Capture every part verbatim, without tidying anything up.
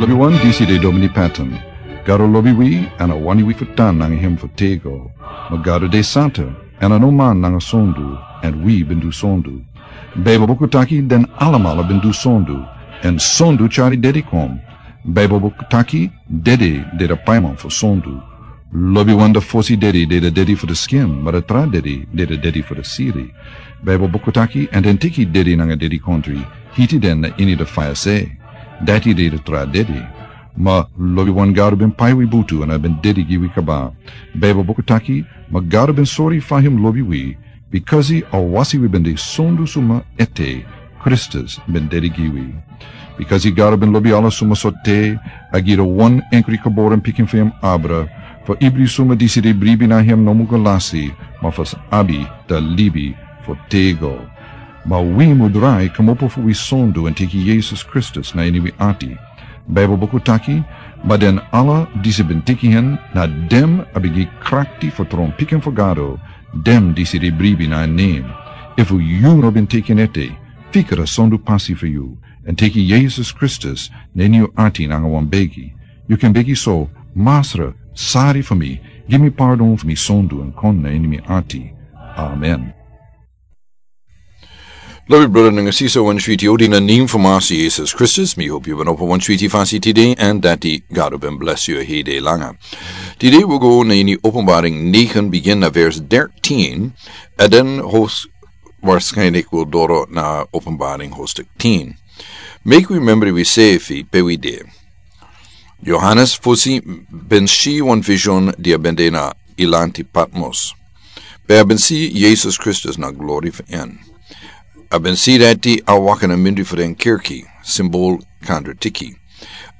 Lobiwan, disi de Domini Patton. Gado lobi wi, èn a wani wi fu tan nanga hem fu tego. Ma Gado de santa, èn a no man nanga sondu, èn wi ben du sondu. Baibel buku taki den alamala ben du sondu, èn sondu tyari dedi kon. Baibel buku taki dedi de da paiman fu sondu. Lobiwan, da fosi dedi de da dedi fu da skin, ma da tra dedi de da dedi fu da siri. Baibel buku taki, èn den teki dedi nanga dedikontri, hiti den na ini da faya se. Dati de da tra dedi. Ma lobiwan, Gado ben pai wi butu èn a ben dedi gi wi kaba. Baibel buku taki, ma Gado ben sori fa hem lobi wi, bikasi a wasi wi ben de sondu suma ete, Kristus ben dedi gi wi. Bikasi Gado ben lobi ala suma sorte, a gi da wan enkri geboren pikin fu hem abra, fu ibri suma disi de bribi na hem no mu go lasi, ma fu sa abi da libi fu tego. Ma wi mu drai kmopo fu wi sondu èn teki Yesus Kristus na ini wi ati. Baibel buku taki, ma den ala disi ben teki hen, na den a ben gi krakti fu tron pikin fu Gado, den disi de bribi na en nen. Efu yu no ben teki en ete, fika da sondu pasi fu yu, èn teki Yesus Kristus na ini yu ati nanga wan begi. Yu kan begi so: Masra, sari fu mi, gi mi pardon fu mi sondu èn kon na ini mi ati. Amen. Lobi brother nanga sisa, wan switi odi na nen fu Masra Yesus Kristus. Mi hopi yu ben opo wan switi fasi tide, èn dati Gado ben bless yu hede langa. Tide wi go na ini Openbaring negen, begin na vers dertien, èn den hos-, waarschijnlijk wi doro na Openbaring hoofdstuk tien. Meki wi memri wi sefi pe wi de. Yohanes fosi ben si wan vision di a ben de na eiland Patmos. Pe a ben si Yesus Kristus na glori fu en. A ben si dati a waka na mindri fu den kerki, simbol kandratiki.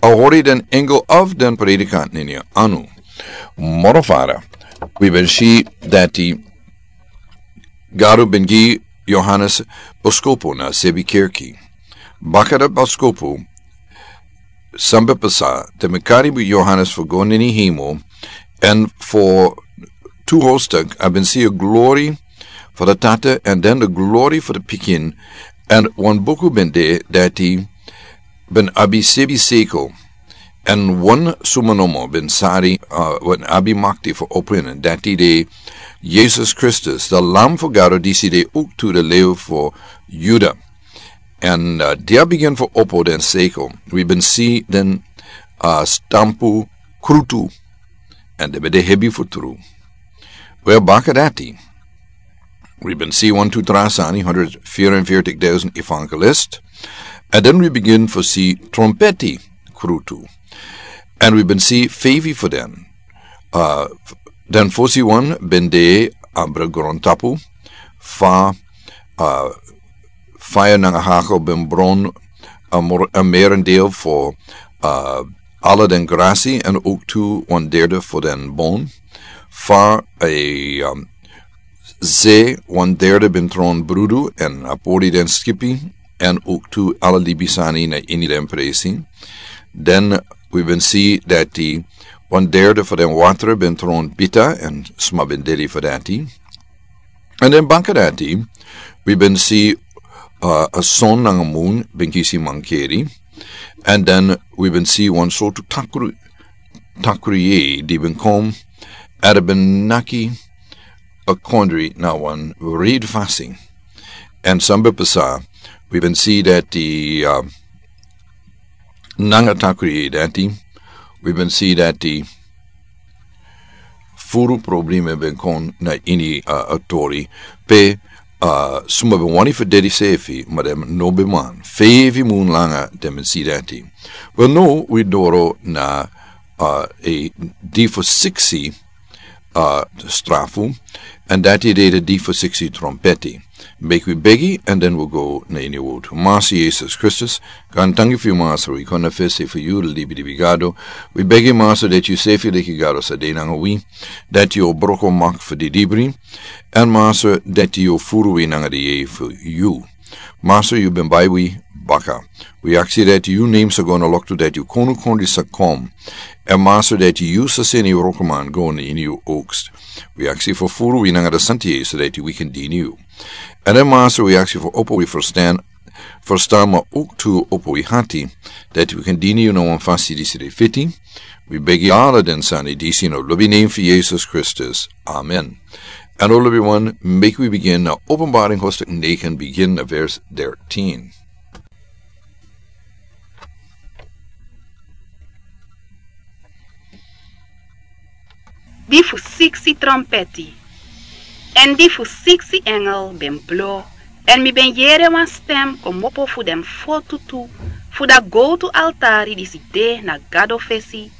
A hori den engel of den predikant nini anu. Moro fara, wi ben si dati Gado ben gi Yohanes boskopu na sebi kerki. Baka dati boskopu, san ben pasa, den ben kari Yohanes fu go na ini hemel, èn fu tu hoofdstuk a ben si a glori fu da Tata, èn den da glori fu da Pikin, èn wan buku ben de dati ben abi sebi sekel, èn wan suma nomo ben sari, uh, wan abi makti fu opo en, dati de Yesus Kristus, da Lam fu Gado disi de owktu da Lew fu Yuda. Èn, uh, di a bigin fu opo den sekel, wi ben si den, uh, stampu krutu, èn den ben de hebi fu tru. Wel, baka dati, wi ben si wan tu tra sani, honderd vierenveertig duizend evangelist. Èn den wi bigin fu si trompeti krutu. Èn wi ben si feifi fu den. Uh, den fosi wan ben de abra grontapu, fa, uh, faya nanga hagel ben bron, uh, mor-, uh, merendeel fu, uh, ala den grasi, èn owktu wan derde fu den bon. Fa a, um, ze wan derde ben tron brudu èn a pori den skipi, èn owktu ala libisani na ini den presi. Den wi ben si dati wan derde fu den watra ben tron bita, èn sma ben dedi fu dati. Èn den baka dati, wi ben si, uh, a son nanga mun ben kisi mankeri. Èn den wi ben si wan sortu takru, takru yeye di ben kon, èn a ben naki a kondre na wan wrede fasi. Èn san ben pasa, wi ben si dati, uh, nanga takru yeye dati, wi ben si dati furu problema ben kon na ini, uh, a tori, pe, uh, suma ben wani fu dedi sefi, ma den no ben man. Feifi mun langa den ben si dati. Wel, now wi doro na, uh, a di fu siksi, uh, strafu, èn dati de a di fu siksi trompeti. Meki wi begi, èn den wi go na ini a wortu. Masra Yesus Kristus, gaantangi fu yu, Masra, wi kon na fesi fu yu, libi di wi Gado. Wi begi, Masra, dati yu sefi leki Gado sa de nanga wi, dati yu o broko mak fu di dibri, èn Masra, dati yu o furu wi nanga di yeye fu yu. Masra, yu ben bai wi baka. Wi aksi dati yu nen sa go na loktu, dati yu konu kondre sa kon. Èn Masra, dati yu sa seni yu wroko man go na ini yu oogst. Wi aksi fu furu wi nanga da santi yeye, so dati wi kan dini yu. Èn den Masra, wi aksi fu opo wi ferstan, Ferstan, ma owk tu opo wi hati, dati wi kan dini yu na wan fasi disi de fiti. Wi begi ala den sani disi na lobi nen fu Yesus Kristus. Amen. An o lobi wan, meki wi bigin na Openbaring hostik negen, bigin na vers dertien. Di fu siksi trompeti. Èn di fu siksi engel ben blo, èn mi ben yere wan stem komopo fu den fotu tu fu da gowtu altari disi de na Gado fesi,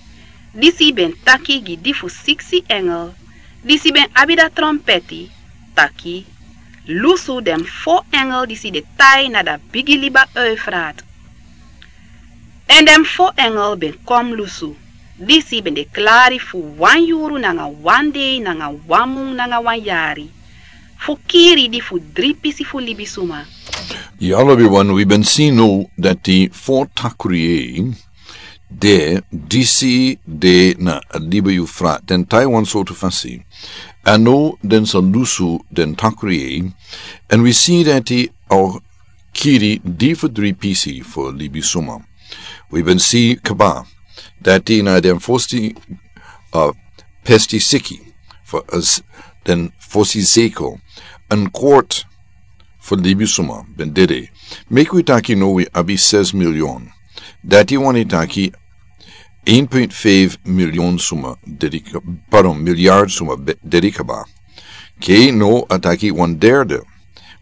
disi ben taki gi di fu siksi engel disi ben abi da trompeti, taki: Lusu den fo engel disi de tai na da bigi liba Eufrat. Èn den fo engel ben kon lusu, disi ben de klari fu wan yuru nanga wan dei nanga wan mun nanga wan yari, fu kiri di fu dri pisi fu libisuma. Ya, lobi wan, wi ben si now dati fo takru yeye de, disi de na liba Eufrat, den tai wan sortu fasi. Èn now den sa lusu den takru yeye, èn wi si dati a kiri di fu dri pisi fu libisuma. Wi ben si kaba dati na den fosi, uh, pesti siki fu, uh, den fosi seko, èn kwart fu libisuma ben dede. Meki wi taki now wi abi ses milyon. Dati wani taki een punt vijf milyon suma dede, pardon, milyard suma be-, dede kaba. Ke now a taki wan derde.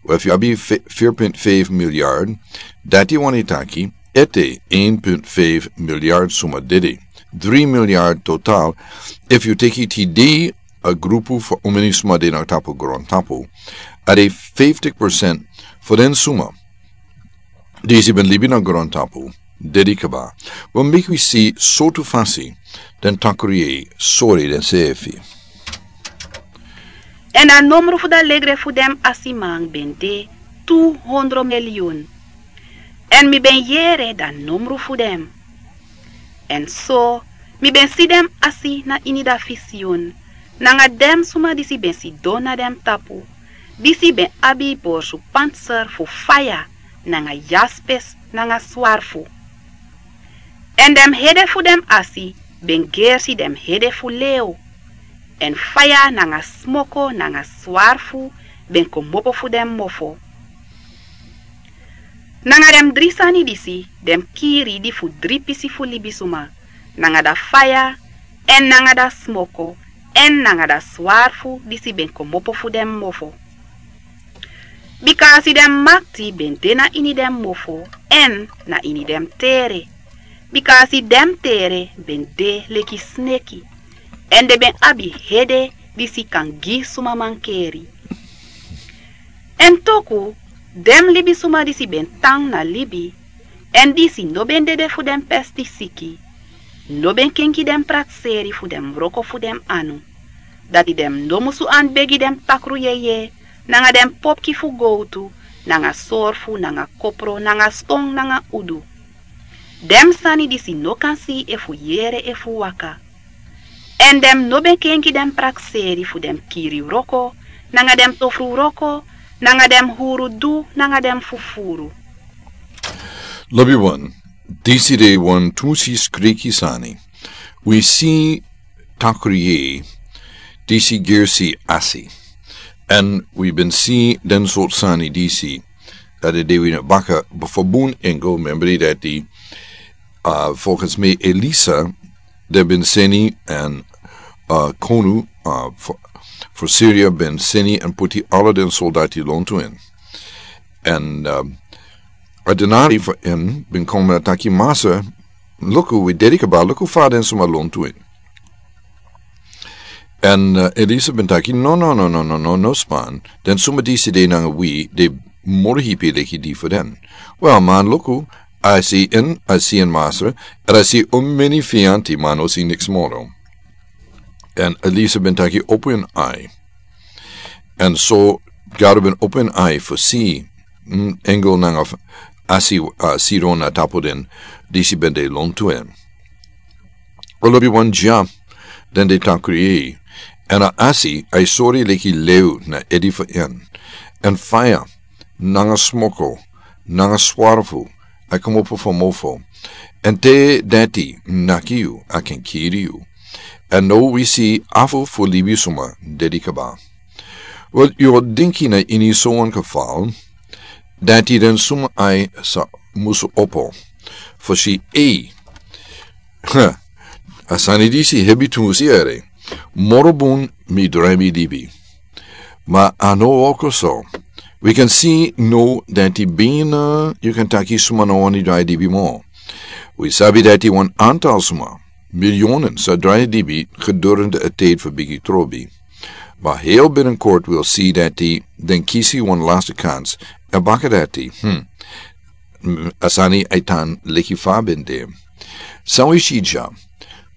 Wel, efu yu abi fi-, vier punt vijf miljard, dati wani taki ete een punt vijf miljard suma dede. Dri miljard total. Efu yu teki tide a grupu fu omeni suma de na tapu grontapu, a de vijftig procent fu den suma disi ben libi na grontapu dede kaba. Wi meki wi si sortu fasi den takru yeye sori den sefi. Èn a numru fu da legre fu den asiman ben de tu hondro milyun. Èn mi ben yere da numru fu den. Èn so, mi ben si den asi na ini da fisiyun, nanga den suma disi ben sidon na den tapu, disi ben abi borsu panser fu faya, nanga yaspes, nanga swarfu. Èn den hede fu den asi ben gersi den hede fu lew, èn faya nanga smoko nanga swarfu ben komopo fu den mofo. Nanga den dri sani disi den kiri di fu dri pisi fu libisuma, nanga da faya, èn nanga da smoko, èn nanga da swarfu disi ben komopo fu den mofo. Bika a si den makti ben de na ini den mofo, èn na ini den tere. Bika a si den tere ben de leki sneki, èn den ben abi hede disi kan gi suma mankeri. Èn toku den libisuma disi ben tan na libi, èn disi no ben dede fu den pesti siki, no ben kenki den prakseri fu den wroko fu den anu. Dati den no musu anbegi den takru yeye, nanga den popki fu gowtu, nanga sorfu, nanga kopro, nanga ston, nanga udu. Den sani disi no kan si efu yere efu waka. Èn den no ben kenki den prakseri fu den kiri wroko, nanga den tofru wroko, nanga den huru du, nanga den fufuru. Lobi wan, disi de wan tu si skriki sani. Wi si takru yeye disi gersi asi. Èn wi ben si den sortu sani disi, dati de wi na baka, befo bun engel, membri dati, uh, volgens mi Elisa, den ben seni èn, uh, konu, uh, fu, fu Siria ben seni èn puti ala den soldati lontu in. Èn, uh, a denari fu en ben kon na taki: Masra, luku, wi dede kaba, luku fa den suma lontu in. Èn, uh, Elisa ben taki: No, no, no, no, no, no, no span. Den suma disi de nanga wi, de moro hipi leki di fu den. Wel, man, luku, a si en, a si en, Masra, èn a si omeni fianti, man, a no si niks moro. Èn Elisa ben taki: Opo yu ai. Èn so Gado ben opo en ai fu si, mm, engel nanga f-, asi, uh, sidon na tapu den disi ben de lontu en. Olobi wan dya den de takru yeye, èn a asi a e sori leki lew na edi fu en, èn faya nanga smoko nanga swarfu, a kmopo fu mofo, èn te dati naki yu, a ken kiri yu. Èn now wi si afu fu libisuma dedi kaba. Wel, yu o dinki na ini sowan kefal, dati den suma ai sa musu opo. Fu si ei. Ha, a sani disi hebi tu musi ere. Moro bun mi drai mi libi. Ma a no woko so. Wi kan si now dati bina yu kan taki suma no wani drai libi mo. Wi sabi dati wan antal suma, milionen sa drai libi gedurende a tijd fu bigi trobi. Ma heel binnenkort wil si dati den kisi wan laste kans. A baka dati, hmm. Mm, a sani a e tan leki fa a ben de. San wi si dya.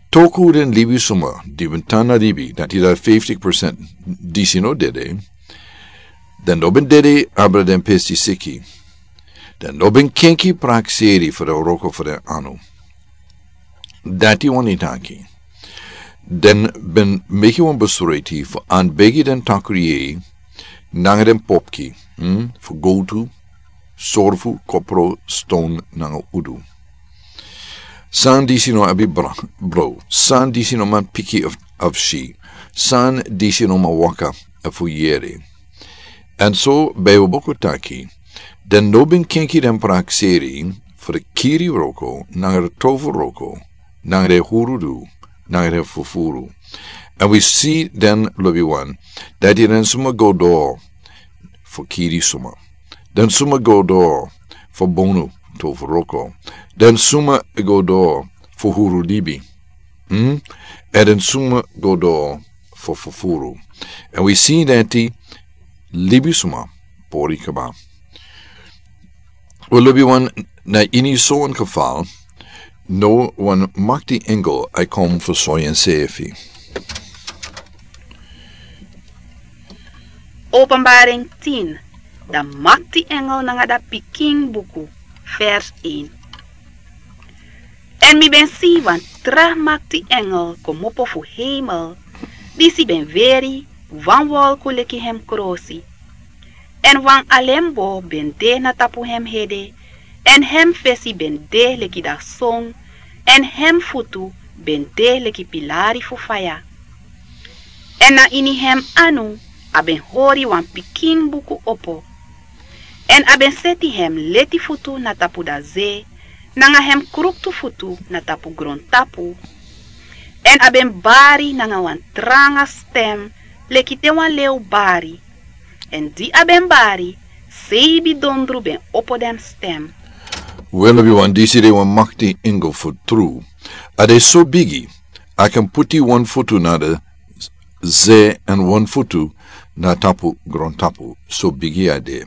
Toku den libisuma di ben tan na libi, dati dati fifty percent disi no dede. Den no ben dede abra den pesti siki. Den no ben kenki prakseri fu den wroko fu den anu. Dati wani taki. Den ben meki wan besluiti fu anbegi den takru yei nanga den popki, hmm, fu gowtu, sorfu, kopro, ston nanga udu. San disi no abi bra-, bro, san disi no man piki of, of si, san disi no man waka fu yere. Èn so Bijbel buku taki, den no ben kenki den prakseri fu den kiri wroko, nanga den tofu wroko, nanga den hurudu, nanga den fufuru. Èn wi si den lobi wan, dati den suma go doro fu kiri suma. Den suma go doro fu bonu tofu wroko. Den suma go doro fu huru libi. Hmm? Èn den suma go doro fu fufuru. Èn wi si dati libisuma pori kaba. Wel, lobi wan, na ini sowan kefal, now wan makti engel a e kon fu sori ensefi. Openbaring tien, dan makti engel nanga dan pikin buku, vers één. Èn mi ben si wan tra makti engel kmopo fu heimel, disi ben weri wan wolku leki hem krosi. Èn wan alembo ben de na tapu hem hede, èn hem fesi ben de leki dan son, èn hem futu ben de leki pilari fu faya. Èn na ini hem anu a ben hori wan pikin buku opo. Èn a ben seti hem leti futu na tapu dan ze, nanga hem kruktu futu na tapu grontapu. Èn a ben bari nanga wan tranga stem, leki te wan lew bari. Èn di a ben bari, seibi dondru ben opo den stem. Wel, lobi wan, disi de wan makti engel fu tru. A de so bigi, a kan puti wan futu na de ze èn wan futu na tapu grontapu, so bigi a de.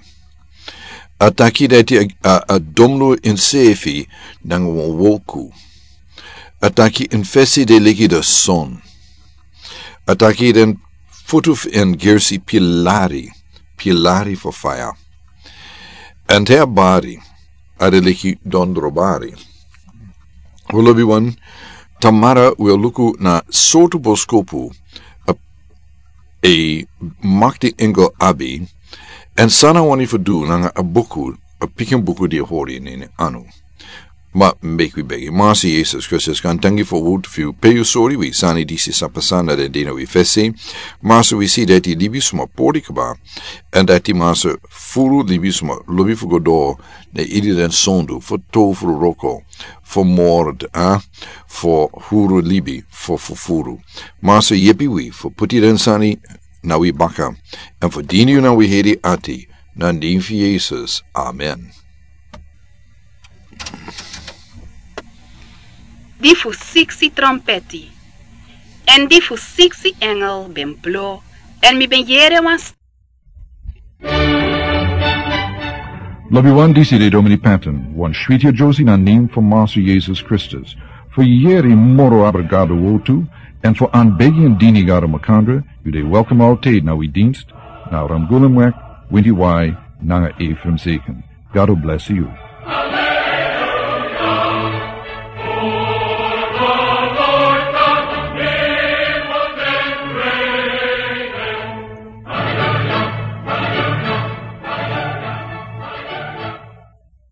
A taki dati a, a, a domlu ensefi nanga wan wolku. A taki en fesi de leki dan son. A taki den futu fu en gersi pilari, pilari fu faya. Èn te a bari, a de leki dondro bari. Wel, lobi wan, tamara wi o luku na sortu boskopu a, a makti engel abi, èn san a wani fu du nanga a buku, a pikin buku di a hori ini en anu. Ma meki wi begi. Master Jesus Kristus, garantangi fu a wowtu fu yu, pe yu sori wi sani disi sa pasa na den dei wi fesi. Master, wi si dati libisma pori kaba, èn dati, Master, furu libisma lobi fu go doro na ini den sondu, fu tofu wroko, fu mord, eh, fu huru libi, fu fufuru. Master, yepi wi fu puti den sani na wi baka, èn fu dini yu na wi heri ati, na nen fu Jesus. Amen. Di fu siksi trompeti. Èn di fu siksi engel ben blo, èn mi ben yere wan s- Lobi wan, disi de Domini Patton, wan switi a Josie na nen fu Master Jesus Kristus. Fu yere moro abra Gado wowtu, èn fu anbegi èn dini Gado makandra, yu de welkom altijdi na wi dinst, na Ramgulumweg, Windy Y, nanga Ephraim Zeken. Gado blesi yu.